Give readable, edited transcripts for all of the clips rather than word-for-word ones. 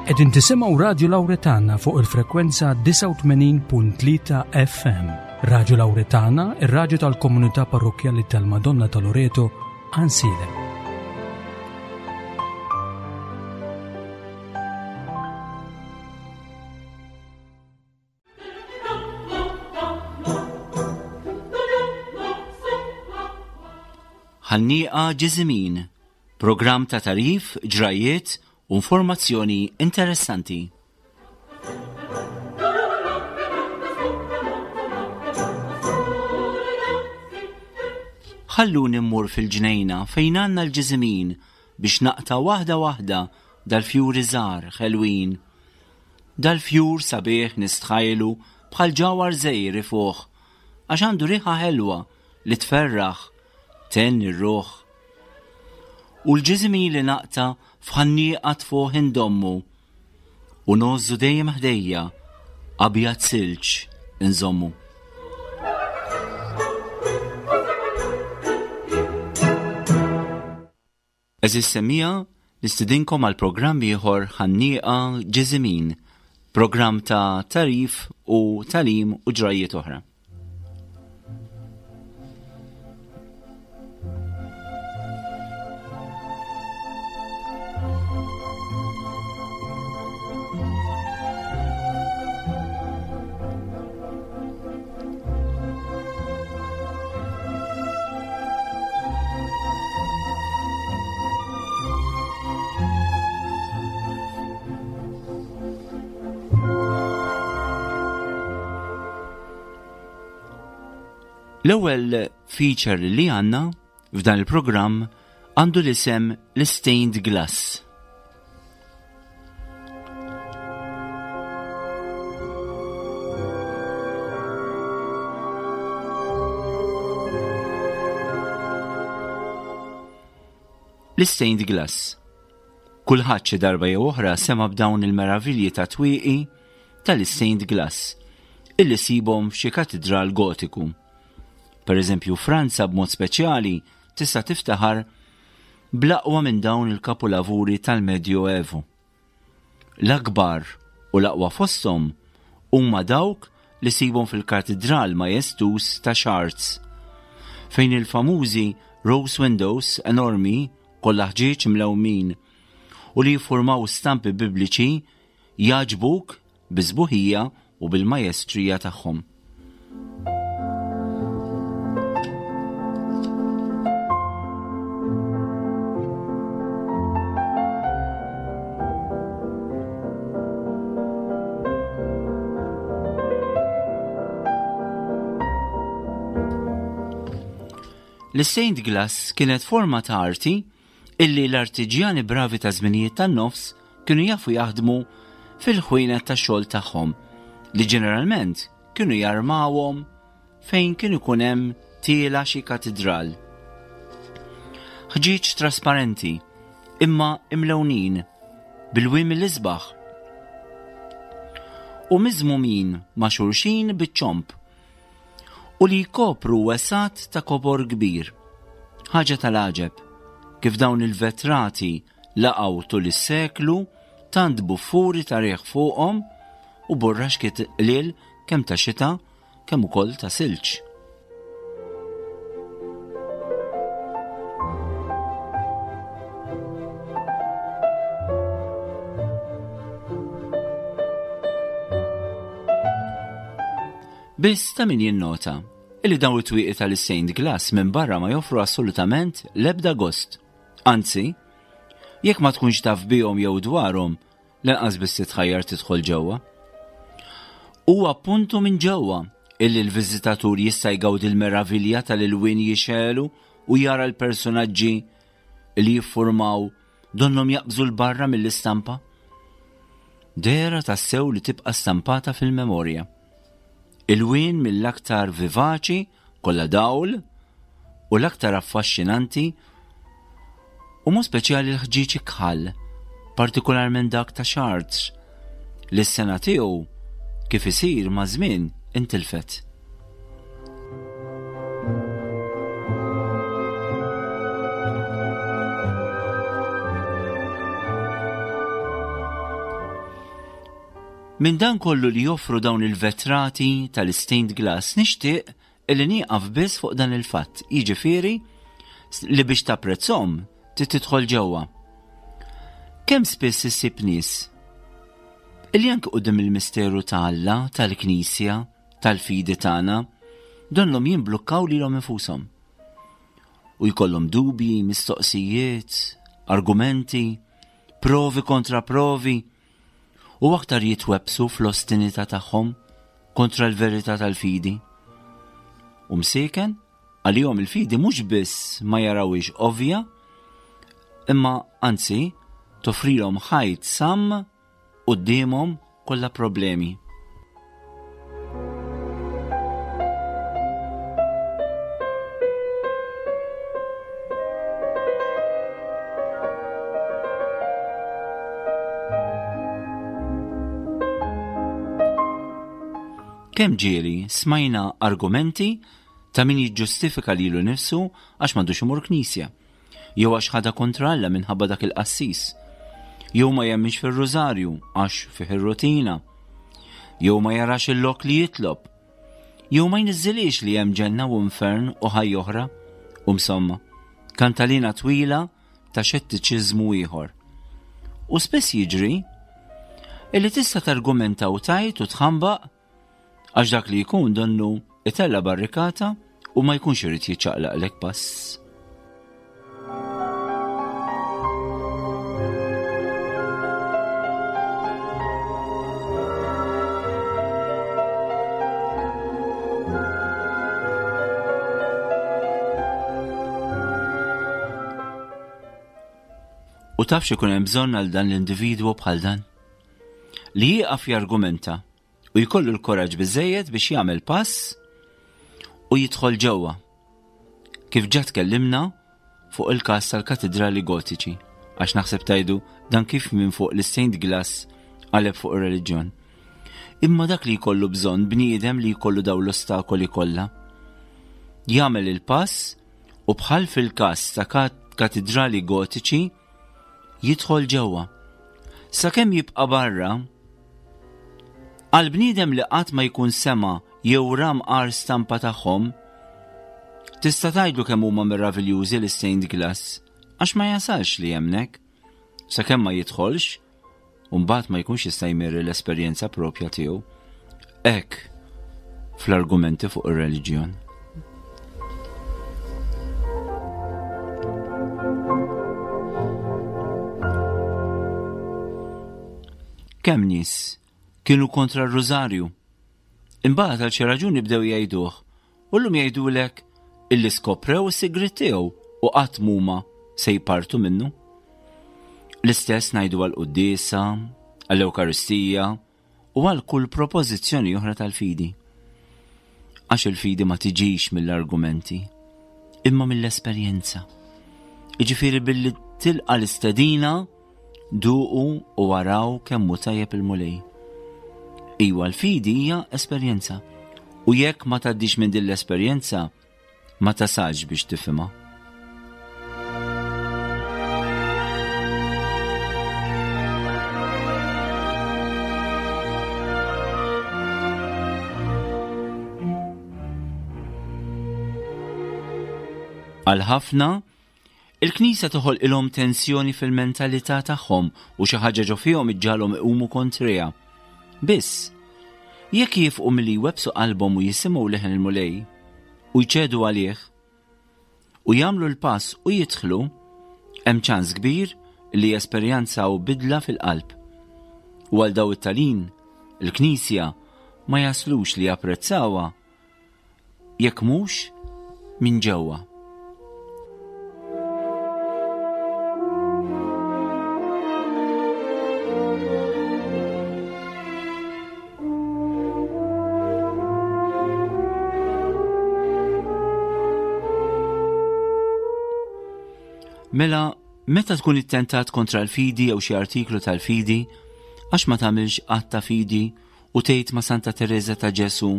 Qegħdin tisimgħu Radju Lawretana fuq il-frekwenza 89.3 FM. Radju Lawretana, ir-radju tal-komunità parrokkjali tal-Madonna ta' Loreto, Għansielem. Ħannieqa Ġiżimin, programm ta' tagħrif, ġrajjiet u informazzjoni interessanti. Ħalluni mmur fil-ġnejna fejn għandna l-ġiżimin biex naqta' waħda waħda dal-fjuri żgħar ħelwin. Dal-fjur sabiħ nistħajlu bħal ġawhar żgħir ifuħ għax għandu riħa ħelwa li tferraħ, thenni r-ruħ. U l-ġiżimin li naqta' f'ħannieqa tfuħ indommu u ngħożżu dejjem ħdejja abjad silġ inżommu. Għeżież semmiegħa, nistidinkom għal programm ieħor Ħannieqa Ġiżimin, programm ta' tagħrif u tagħlim u ġrajjiet oħra. L-ewwel feature li għandna f'dan il-programm għandu l-isem l-Stained Glass. L-Stained Glass. Kulħadd xi darba jew oħra sema' b'dawn il-meravilji ta' twieqi tal-stained glass illi sibhom f'xi katidral gotiku. Per eżempju, Franza b'mod speċjali tista' tiftaħar bl-aqwa minn dawn il-kapulavuri tal-Medjoevu. L-akbar u l-aqwa fosthom huma dawk li ssibhom fil-Katidral majestuż ta' Chartres, fejn il-famużi rose windows enormi kollha ħġieġ mlewmin u li jiffurmaw stampi bibliċi jagħġbuk bis-sbuħija u bil-majestrija tagħhom. L-Stained Glass kienet forma ta' arti illi l-artiġjani bravi ta' żminijiet tan-nofs kienu jafu jaħdmu fil-ħwienet tax-xogħol tagħhom li ġeneralment kienu jarmawhom fejn kien ikun hemm tiela xi katidral. Ħġieġ trasparenti, imma imlewnin, bil-wiem l-isbaħ. U miżmumin ma' xulxin biċ-ċomp u li jkopru wesgħat ta' kobor kbir. Ħaġa tal-għaġeb, kif dawn il-vetrati laqgħu tul is-seklu tant buffuri ta' riħ fuqhom u burraxkiet qliel kemm ta' xita kemm ukoll ta' silġ. Biss ta' min jinnota illi dawn it-twieqi tal-stained glass minn barra ma joffru assolutament l-ebda gost. Anzi, jekk ma tkunx taf bihom jew dwarhom, lanqas biss titħajjar tidħol ġewwa. Huwa appuntu minn ġewwa illi l-viżitatur jista' jgawdi l-meravilja tal-ilwien jixegħlu u jara l-personaġġi li jiffurmaw donnhom jaqbżu 'l barra mill-istampa. Dehra tassew li tibqa' stampata fil-memorja. Ilwien mill-aktar vivaċi, kollha dawl, u l-aktar affaxxinanti, u mod speċjali l-ħġieġ ikħal, partikolarment dak ta' Chartres, li s-sena tiegħu kif isir maż-żmien intilfet. Minn dan kollu li joffru dawn il-vetrati tal-stained glass nixtieq illi nieqaf biss fuq dan il-fatt, jiġifieri li biex tapprezzhom trid tidħol ġewwa. Kemm spiss issib nies illi anke quddiem il-misteru ta' Alla, tal-Knisja, tal-fidi tagħna, donnhom jimblukkaw lilhom infushom. U jkollhom dubji, mistoqsijiet, argumenti, provi kontra provi, u aktar jitwebbsu fl-ostinità tagħhom kontra l-verità tal-fidi. U msieken, għalihom il-fidi mhux biss ma jarawhiex ovvja, imma anzi toffrilhom ħajt samm quddiemhom kollha problemi. Kemm ġieli smajna argumenti ta' min jiġġustifika lilu nnifsu għax m'għandux imur knisja, jew għax ħadha kontra Alla minħabba dak il-qassis, jew ma jemminx fir-rużarju għax fih ir-rutina, jew ma jarax il-lok li jitlob, jew ma jniżżilix li hemm ġenna u infern u ħajja oħra, u msomma, kantalina twila ta' xettiċiżmu ieħor. U spiss jiġri illi tista' targumenta u tajt u tħambaq għax dak li jkun donnu itella barrikata u ma jkunx irid jiċċaqlaqlek pass. U taf x'ikun hemm bżonn għal dan l-individwu bħal dan? Li jieqaf jargumenta u jkollu l-koraġġ biżejjed biex jagħmel pass u jidħol ġewwa. Kif ġa tkellimna fuq il-każ tal-katidrali gotiċi, għax naħseb tajdu dan kif minn fuq l-stained glass qaleb fuq ir-reliġjon. Imma dak li jkollu bżonn bniedem li jkollu daw l-ostakoli kollha. Jagħmel il-pass u bħal fil-każ ta' katidrali gotiċi jidħol ġewwa. Sakemm jibqa' barra, għal bniedem li qatt ma jkun sema jew ra mqar stampa tagħhom, tista' tgħidlu kemm huma meraviljużi l-stained glass, għax ma jasalx li jemmnek, sakemm ma jidħolx u mbagħad ma jkunx jista' jmirri l-esperjenza propja tiegħu. Hekk fl-argumenti fuq ir-reliġjon. Kemm nies kienu kontra r-rużarju. Imbagħad għal xi raġuni bdew jgħiduh u llum jgħidulek illi skoprew is-sigriet tiegħu u qatt m'huma se jpartu minnu. L-istess ngħidu għall-quddiesa, għall-Ewkaristija u għal kull propożizzjoni oħra tal-fidi. Għax il-fidi ma tiġix mill-argumenti, imma mill-esperjenza. Iġifieri billi tilqa l-istedina Duqu u araw kemm hu tajjeb il-Mulej. Iwa l-fidi hija esperjenza. U jekk ma tgħaddix minn din l-esperjenza, ma tasalx biex tifhimha. Għal ħafna, Il-Knisja toħolqilhom tensjoni fil-mentalità tagħhom u xi ħaġa ġo fihom iġġagħalhom iqumu kontriha. Biss, jekk jiefqu milli jwebbsu qalbhom u jisimgħu leħen il-Mulej u jċedu għalih, u jagħmlu l-pass u jidħlu, hemm ċans kbir li jesperjanzaw bidla fil-qalb. U għal daw it-talin, il-Knisja ma jaslux li japprezzawha jekk mhux minn ġewwa. Mela, meta tkun ittentat kontra l-fidi jew xi artiklu tal-fidi, għax ma tagħmilx att ta' fidi U tgħid ma' Santa Tereża ta' Ġesù,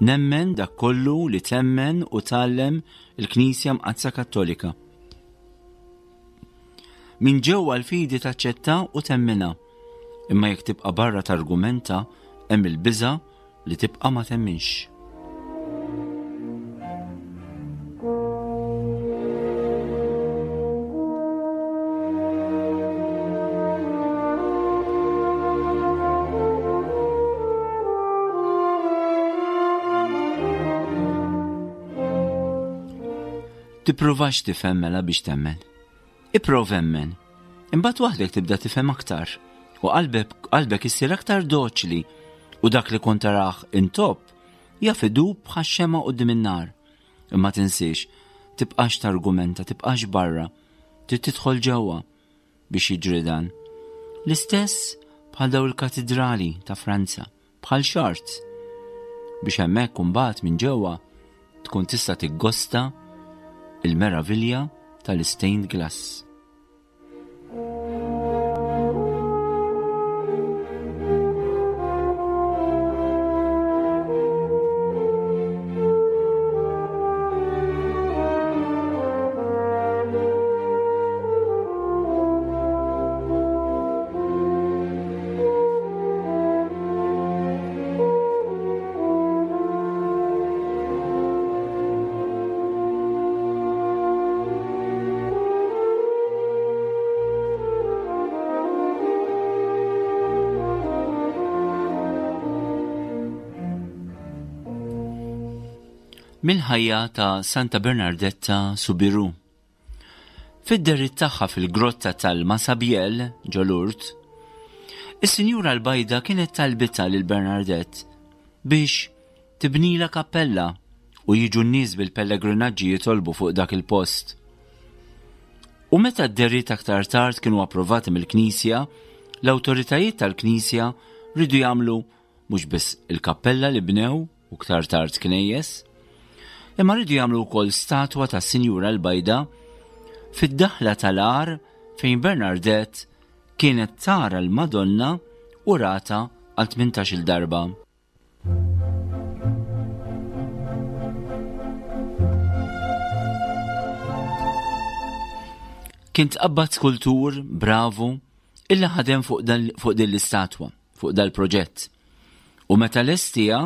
Nemmen dak kollu li temmen u tgħallem il-Knisja Mqaddsa Kattolika. Minn ġewwa l-fidi taċċetta u temminha. Imma jekk tibqa' barra targumenta hemm il-biża' li tibqa' ma temminx. Tippruvax tifhem mela biex temmen. Ipprova emmen. Imbagħad waħdek tibda tifhem aktar u qalbek qalbek issir aktar doċli u dak li kont tarah intopp jaf idub bħax-xema quddiem in-nar. Imma tinsiex, tibqax targumenta, tibqax barra, trid tidħol ġewwa biex jiġri dan. L-istess bħal daw il-katidrali ta' Franza, bħal Chartres, biex hemmhekk imbagħad minn ġewwa tkun tista' tiggosta il-meravilja tal-stained glass. Mill-ħajja ta' Santa Bernardetta Subiru. Fid-dehriet tagħha fil-grotta tal-Massabielle, ġo Lourdes, is-Sinjura l-Bajda kienet talbitha lil Bernardette biex tibnilha kappella u jiġu n-nies bil-pellegrinaġġi jitolbu fuq dak il-post. U meta d-dehriet aktar tard kienu approvati mill-Knisja, l-awtoritajiet tal-Knisja riedu jagħmlu mhux biss il-kappella li bnew u ktar tard knejjes, imma rridu jagħmlu wkoll statwa ta' Sinjura l-Bajda fid-daħla tal-għar fejn Bernardette kienet tara l-Madonna u rata għal 18-il darba. Kien tqabbad skultur bravu illi ħadem fuq din l-istatwa fuq dal-proġett. U meta lestija,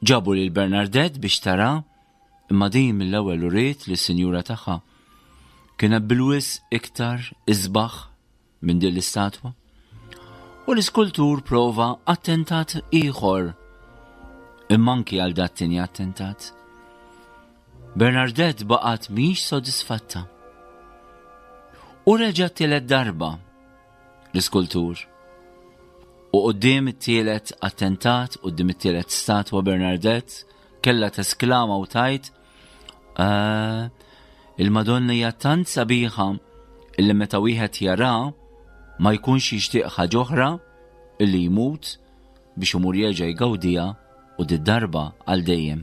ġabu lil Bernardette biex tara, imma din mill-ewwel uriet lis-sinjura tagħha kienet bil-wisq iktar isbaħ minn din l-istatwa. U l-iskultur prova attentat ieħor. Imma anki għal dat tieni attentat. Bernardette baqgħet mhix sodisfatta. U reġa' tielet darba l-iskultur. U quddiem it-tielet attentat, quddiem it-tielet statwa Bernardette, kellha tesklama u tajt, eh, il-Madonna hija tant sabiħa illi meta wieħed jara ma jkunx jixtieq ħaġa oħra illi jmut biex imur jerġa' jgawdiha u did-darba għal dejjem.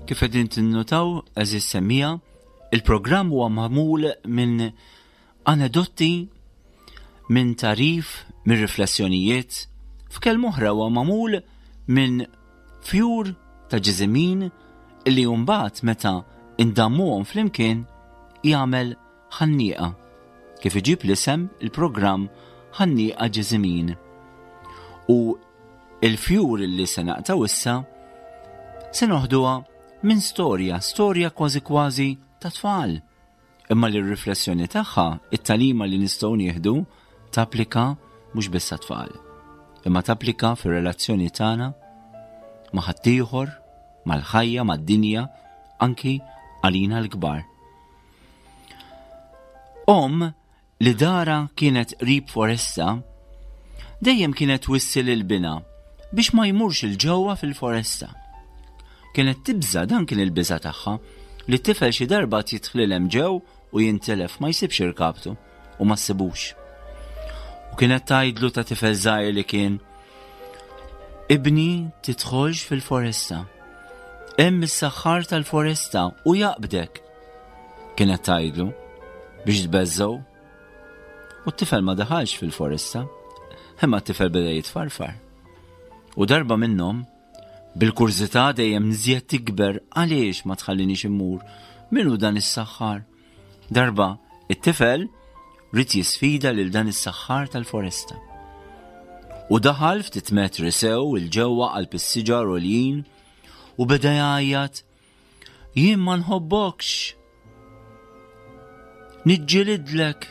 Kif qegħdin tinnutaw, eżis semija, il-programm huwa magħmul minn anedotti, minn tarif, minn riflessjonijiet, f'kelma oħra huwa magħmul minn fjur ta' ġiżimin li mbagħad meta indammuhom flimkien jagħmel ħannieqa, kif iġib l-isem il-programm Ħannieqa Ġiżimin. U il-fjur li se naqtaw issa se noħduha minn storja, storja kważi kważi ta' tfal. Imma li r-riflessjoni tagħha, it-tagħlima li nistgħu nieħdu, tapplika mhux biss għat-tfal, imma tapplika fir-relazzjoni tagħna ma' ħaddieħor, mal-ħajja, mad-dinja, anki għalina l-kbar. Omm li dara kienet qrib foresta, dejjem kienet twissi lil binha biex ma jmurx il ġewwa fil-foresta. Kienet tibża' dan kien il-biża' tagħha, li t-tifel xi darba għad jidħlil hemm ġew u jintilef ma jsibx irkabtu u ma ssibux. U kienet tgħidlu ta' tifel żgħir li kien Ibni tidħolx fil-foresta. Hemm is-saħħar tal-foresta u jaqbdek. Kienet tgħidlu biex tbeżżgħu. U t-tifel ma daħalx fil-foresta, imma t-tifel beda jitfarfar. U darba minnhom Bil-kurżità dejjem nżjed tikber għaliex ma tħallinix immur? Min hu dan is-saħħar? Darba, it-tifel ried jisfida lil dan is-saħħar tal-foresta. U daħal ftit metri sew il-ġewwa qalb is-siġar għoljin u beda jgħajjat Jien ma nħobbokx. Niġġilidlek.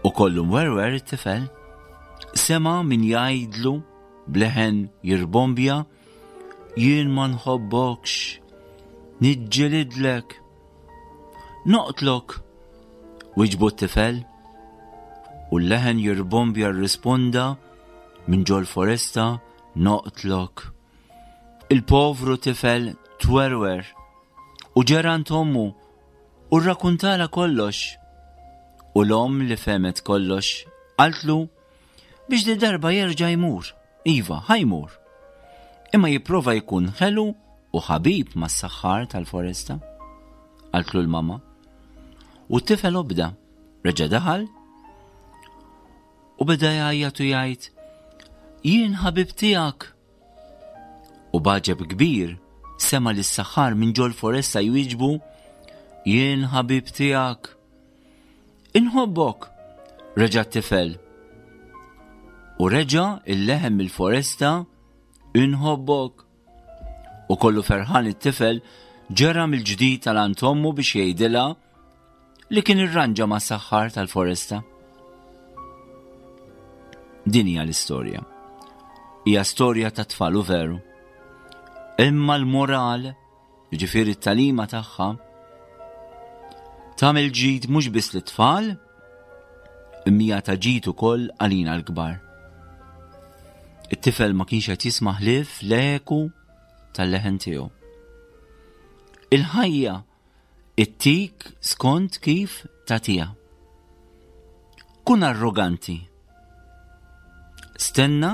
U kollu mwerwer it-tifel. Sema min jgħidlu bleħen jirbombja, jien ma nħobbokx. Niġġilidlek. Noqtlok. Wiġbu t-tifel. U l-leħen jirbombja rrisponda minn ġol foresta noqtlok. Il-povru tifel twerwer u ġera għand ommu u rrakuntala kollox. U l-omm li fehmet kollox qaltlu biex di darba jerġa' jmur. Iva, ħa jmur. Imma jipprova jkun ħelu u ħabib mas-saħħar tal-foresta. Qaltlu l-mama. U t-tifel obda, reġa' daħal u beda jgħajjat u jgħid, Jien ħabib tiegħek. U b'għaġeb kbir sema' lis-saħħar minn ġol-foresta jwieġbu, Jien ħabib tiegħek. Inħobbok, reġa' t-tifel. U reġa' il-leħen mill-foresta, Inħobbok. U kollu ferħan it-tifel ġera mill-ġdid għal għand ommu biex jgħidilha li kien irranġa ma' saħħar tal-foresta. Din hija l-istorja. Hija storja ta' tfal u veru. Imma l-moral, jiġifieri t-talima tagħha, tagħmel ġid mhux biss lit-tfal, imma hija ta' ġid ukoll għalina l-kbar. It-tifel ma kienx qed jisma' ħlief l-eku tal-leħen tiegħu. Il-ħajja Ittik skont kif tagħtiha. Kun arroganti. Stenna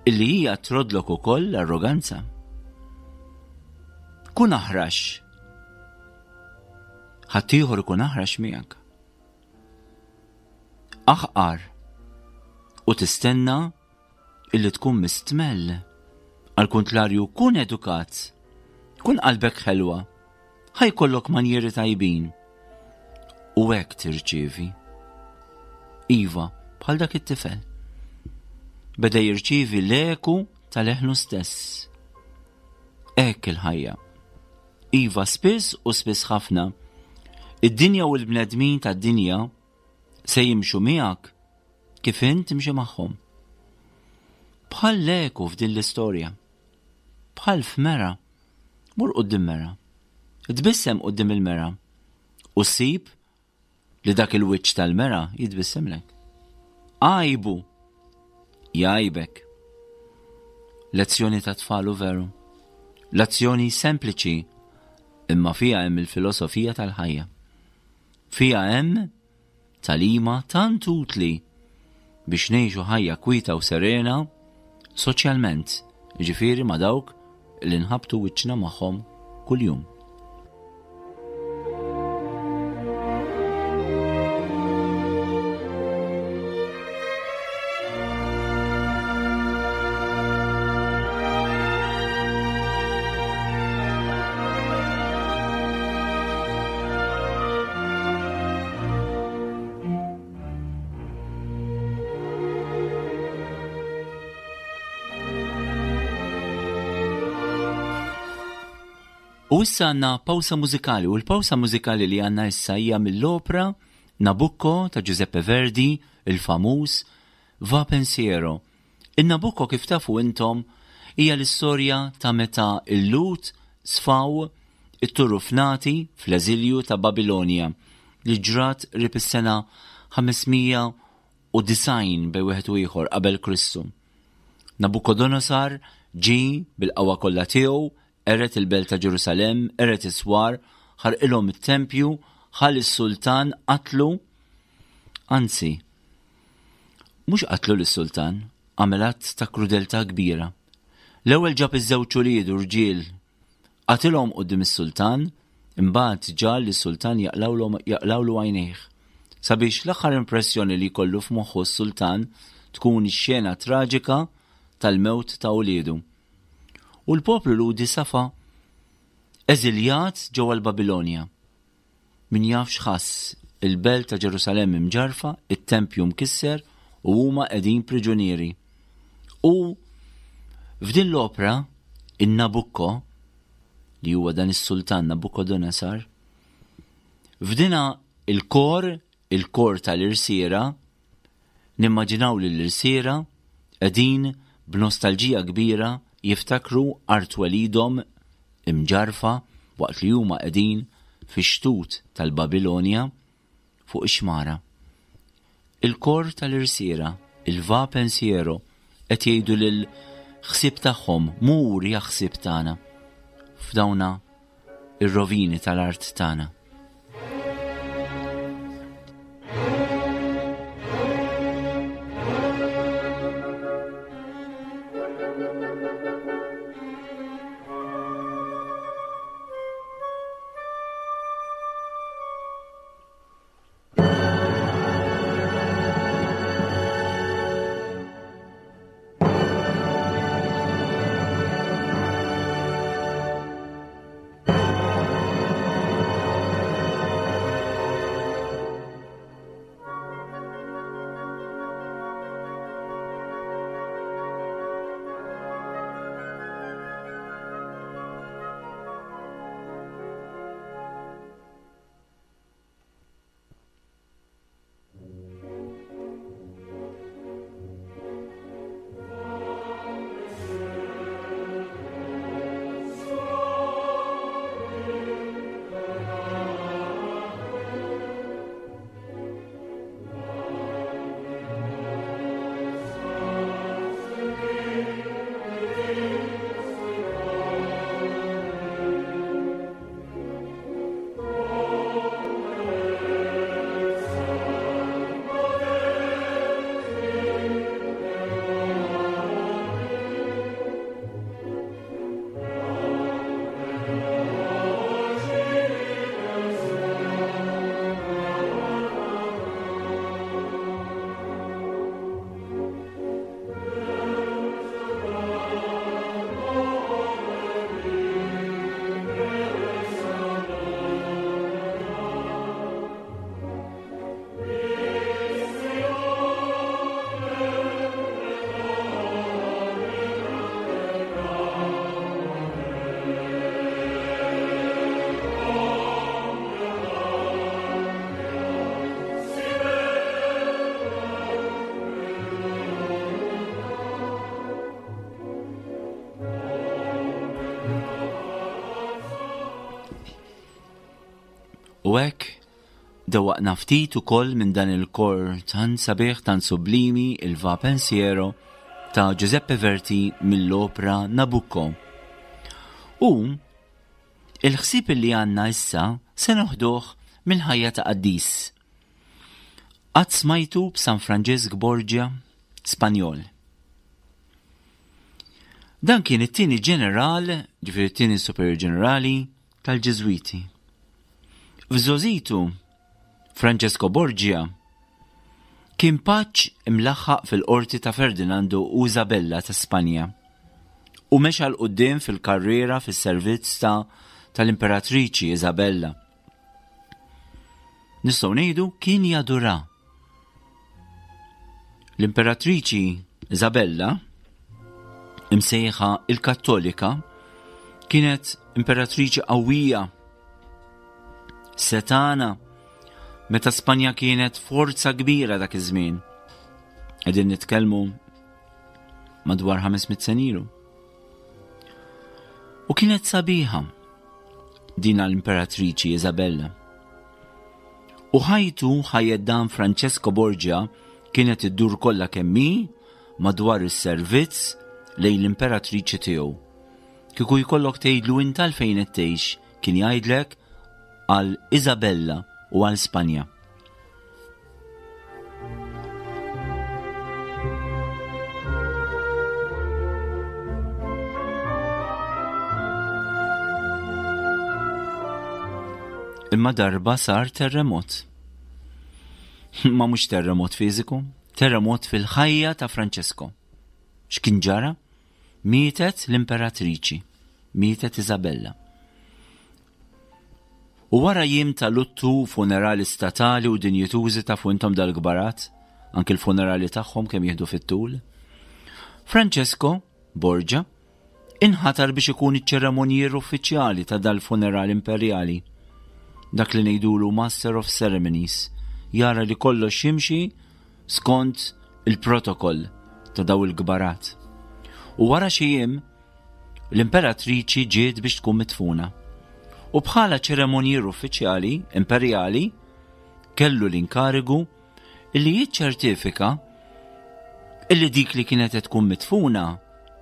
illi hija trodlok ukoll l-arroganza. Kun aħrax. Ħaddieħor ikun aħrax miegħek. Aħqar u tistenna illi tkun mistmell. Għal kuntlarju kun edukat, kun qalbek ħelwa, ħa jkollok manjieri tajbin. U hekk tirċievi. Iva, bħal dak it-tifel. Beda jirċievi l-eku tal-eħnu stess. Hekk il-ħajja. Iva, spiss u spiss ħafna, id-dinja u l-bnedmin tad-dinja se jimxu miegħek Kif int timxi magħhom. Bħal l-eku f'din l-istorja. Bħal f'mera. Mur quddiem mera. Tbissem quddiem il-mera. U ssib li dak il-wiċċ tal-mera jitbissemlek. Għajbu! Jgħajbek. Lezzjoni ta' tfal u veru. Lezzjoni sempliċi imma fiha hemm il-filosofija tal-ħajja. Fiha hemm Tagħlima tant utli biex ngħixu ħajja kwieta u serena soċjalment, jiġifieri ma' dawk li nħabbtu wiċċna magħhom kuljum. U issa għanna pawsa mużikali u l-pawsa mużikali li għanna issa hija mill-opra Nabucco ta' Giuseppe Verdi, il-famuż Va Pensiero. In-Nabucco kif tafu intom hija l-istorja ta' meta l-Lhud sfaw itturufnati fl-eżilju ta' Babilonja li ġrat qrib is-sena 590 bejn wieħed u ieħor qabel Kristu. Nabukodonosar ġie bil-qawwa kollha tiegħu, qered il-belt ta' Ġerusalemm, qered is-swar, ħarqilhom it-tempju, ħa lis-sultan, qatlu. Anzi, mhux qatlu lis-sultan, għamel att ta' krudeltà kbira. L-ewwel ġab iż-żewġ uliedu rġiel, qatilhom quddiem is-sultan, imbagħad ġagħal lis-sultan jaqlgħulu għajnejh, sabiex l-aħħar impressjoni li jkollu f'moħħu s-sultan tkun ix-xena traġika tal-mewt ta' uliedu. U l-poplu Lhudi safa eżiljat ġewwa l-Babilonja. Min jaf x'ħass, il-belt ta' Ġerusalemm imġarrfa, it-tempju mkisser u huma qegħdin priġunieri. U f'din l-opra, in-Nabucco, li huwa dan is-sultan Nabucodonosor, f'dina il-kor, il-kor tal-irsiera, nimmaġinaw lill-irsiera qegħdin b'nostalġija kbira jiftakru art twelidhom imġarrfa waqt li huma qegħdin fix-xtut tal-Babilonja fuq ix-xmara. Il-kor tal-irsiera, il-Va Pensiero, qed jgħidu lill-ħsieb tagħhom, Mur ja ħsieb tagħna f'dawna ir-rovini tal-art tagħna. U hekk dewwaqna ftit ukoll minn dan il-kor tant sabiħ, tant sublimi, il-Va Pensiero ta' Giuseppe Verdi mill-opra Nabucco. U il-ħsieb li għandna issa se noħduh mill-ħajja ta' qaddis. Qatt smajtu b'San Franġisk Borgia, Spanjol. Dan kien it-tieni ġeneral, ġifieri t-tieni superior ġenerali tal-Ġiżwiti. F'żgħożitu, Francesco Borgia kien paġġ imlaħħaq fil-qorti ta' Ferdinandu u Isabella ta' Spanja u mexa 'l quddiem fil-karriera fis-servizz ta' tal-Imperatriċi Isabella. Nistgħu ngħidu kien jadura. L-Imperatriċi Isabella, imsejħa il-Kattolika, kienet imperatriċi qawwija, setana, meta Spanja kienet forza kbira dak iż-żmien. Qegħdin nitkellmu madwar 500 senilu. U kienet sabiħa dina l-Imperatriċi Isabella. U ħajtu ħajjet dan Francesco Borgia kienet iddur kollha kemm hi madwar is-servizz. lejn l-imperatriċi tiegħu. Kieku jkollok tgħidlu int għalfejn qed tgħix, kien jgħidlek għal Isabella u għal Spanja. Imma darba sar terremot. Ma mhux terremot fiżiku, terremot fil-ħajja ta' Francesco. X'kien ġara? Mietet l-imperatriċi, mietet Isabella. U wara jiem ta' luttu u funerali statali u dinjitużi tafu intom dal-kbarat, anki l-funerali tagħhom kemm jieħdu fit-tul. Francesco Borgia inħatar biex ikun iċ-ċeremonjier uffiċjali ta' dal-funeral imperjali. Dak li ngħidulu Master of Ceremonies, jara li kollox jimxi skont il-protokoll ta' daw il-kbarat. U wara xi jiem, l-imperatriċi ġiet biex tkun midfuna. U bħala ċeremonjier uffiċjali imperjali kellu l-inkarigu illi jiċċertifika illi dik li kienet qed tkun midfuna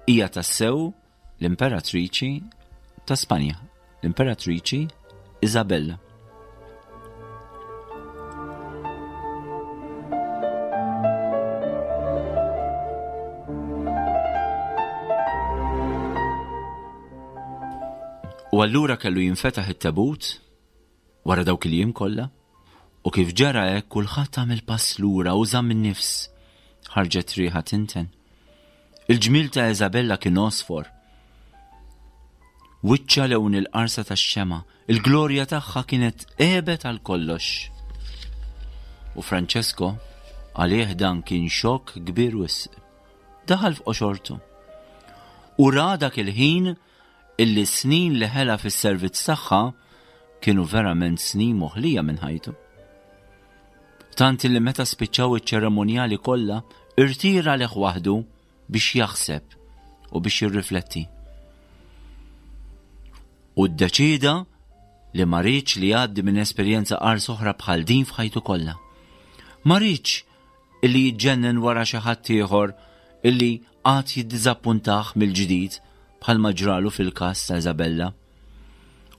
hija tassew l-imperatriċi ta' Spanja, l-imperatriċi Isabella. U allura kellu jinfetaħ it-tebut wara dawk il-jiem kollha, u kif ġara hekk kulħadd għamel pass lura u żamm in-nifs. Ħarġet riħa tinten. Il-ġmiel ta' Isabella kien għosfor. Wiċċha lewn il-qarsa tax-xemgħa, il-glorja tagħha kienet għebet għal kollox. U Francesco, għalih dan kien xokk kbir wisq. Daħal f'qoxortu. U ra dak il-ħin illi s-snin li ħela fis-servizz tagħha kienu verament snin moħlija minn ħajtu. Tant illi meta spiċċaw iċ-ċeremonjali kollha, irtira għalih waħdu biex jaħseb u biex jirrifletti. U ddeċieda li ma riedx li jgħaddi minn esperjenza qars oħra bħal din f'ħajtu kollha. Ma riedx illi jiġġennen wara xi ħadd ieħor illi għad jiddiżappuntah mill-ġdid bħalma ġralu fil-każ ta' Isabella.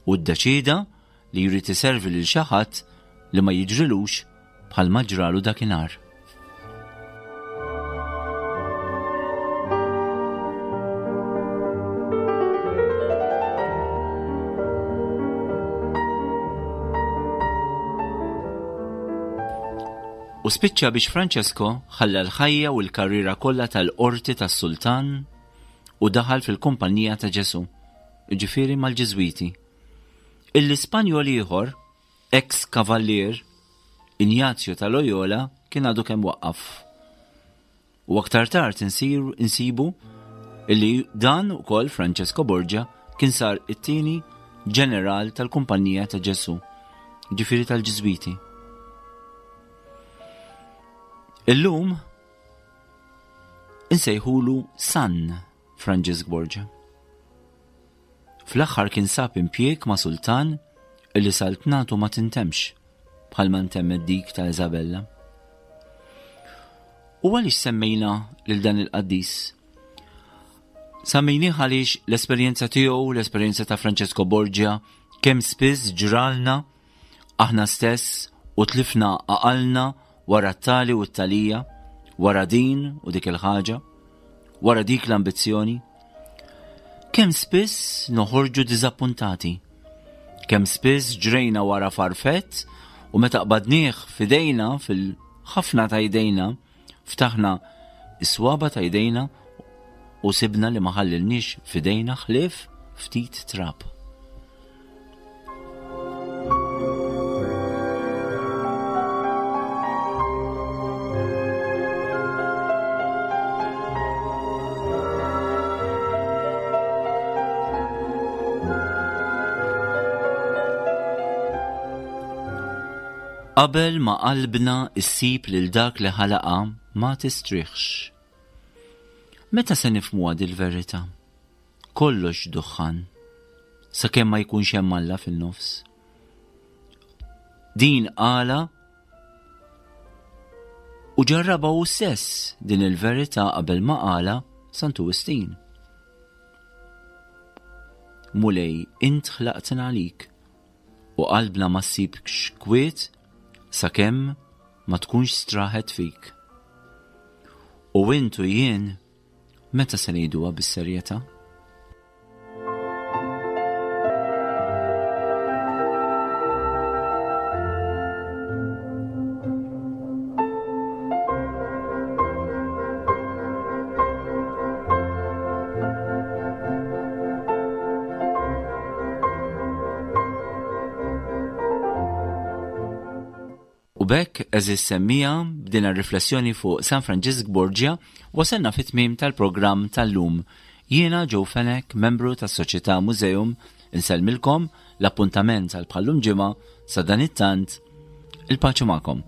U ddeċieda li jrid iservi lil xi ħadd li ma jiġrilux bħalma ġralu dakinhar. U spiċċa biex Francesco ħalla l-ħajja u l-karriera kollha tal-qorti tas-sultan u daħal fil-kumpanija ta' Ġesù, jiġifieri mal-Ġiżwiti. Illi Spanjol ieħor, eks kavallier, Injazio ta' Loyola kien għadu kemm waqqaf. U aktar tard insir insibu illi dan ukoll Francesco Borgia kien sar it-tieni ġeneral tal-Kumpanija ta' Ġesù, ġifieri tal-Ġiżwiti. Illum insejħulu San Franġisk Borgia. Fl-aħħar kien sab impjieg ma' sultan illi saltnatu ma tintemx bħalma ntemmet dik ta' Isabella. U għaliex semmejna lil dan il-qaddis? Semmejnih għaliex l-esperjenza tiegħu, l-esperjenza ta' Francesco Borgia, kemm spiss ġralna Aħna stess u tlifna għaqalna wara t-tali u t-talija, wara din u dik il-ħaġa, wara dik l-ambizzjoni. Kemm spiss noħorġu diżappuntati, kemm spiss ġrejna wara farfett u meta qbadnieh f'idejna fil-ħafna ta' jdejna, ftaħna is-swaba ta' jdejna u sibna li ma ħallilniex f'idejna ħlief ftit trab. Qabel ma qalbna issib lil dak li ħalaqha ma tistrieħx. Meta se nifhmuha dil-verità? Kollox duħħan, sakemm ma jkunx hemm Alla fin-nofs. Din qala u ġarrabha hu stess din il-verità qabel ma qala. Santu Wistin. Mulej, int ħlaqtna għalik u qalbna ma ssibx kwiet sakemm ma tkunx straħet fik. U int u jien meta se ngħiduha bis-serjetà? U b'hekk, għeżież semmiegħa, b'din ir-riflessjoni fuq San Franġisk Borgia, wasalna fit-tmiem tal-programm tal-lum. Jiena Joe Fenech, membru tas-Soċjetà Museum, insellmilkom, l-appuntament għal bħal-lum ġimgħa, sadanittant, il-paċi magħkom.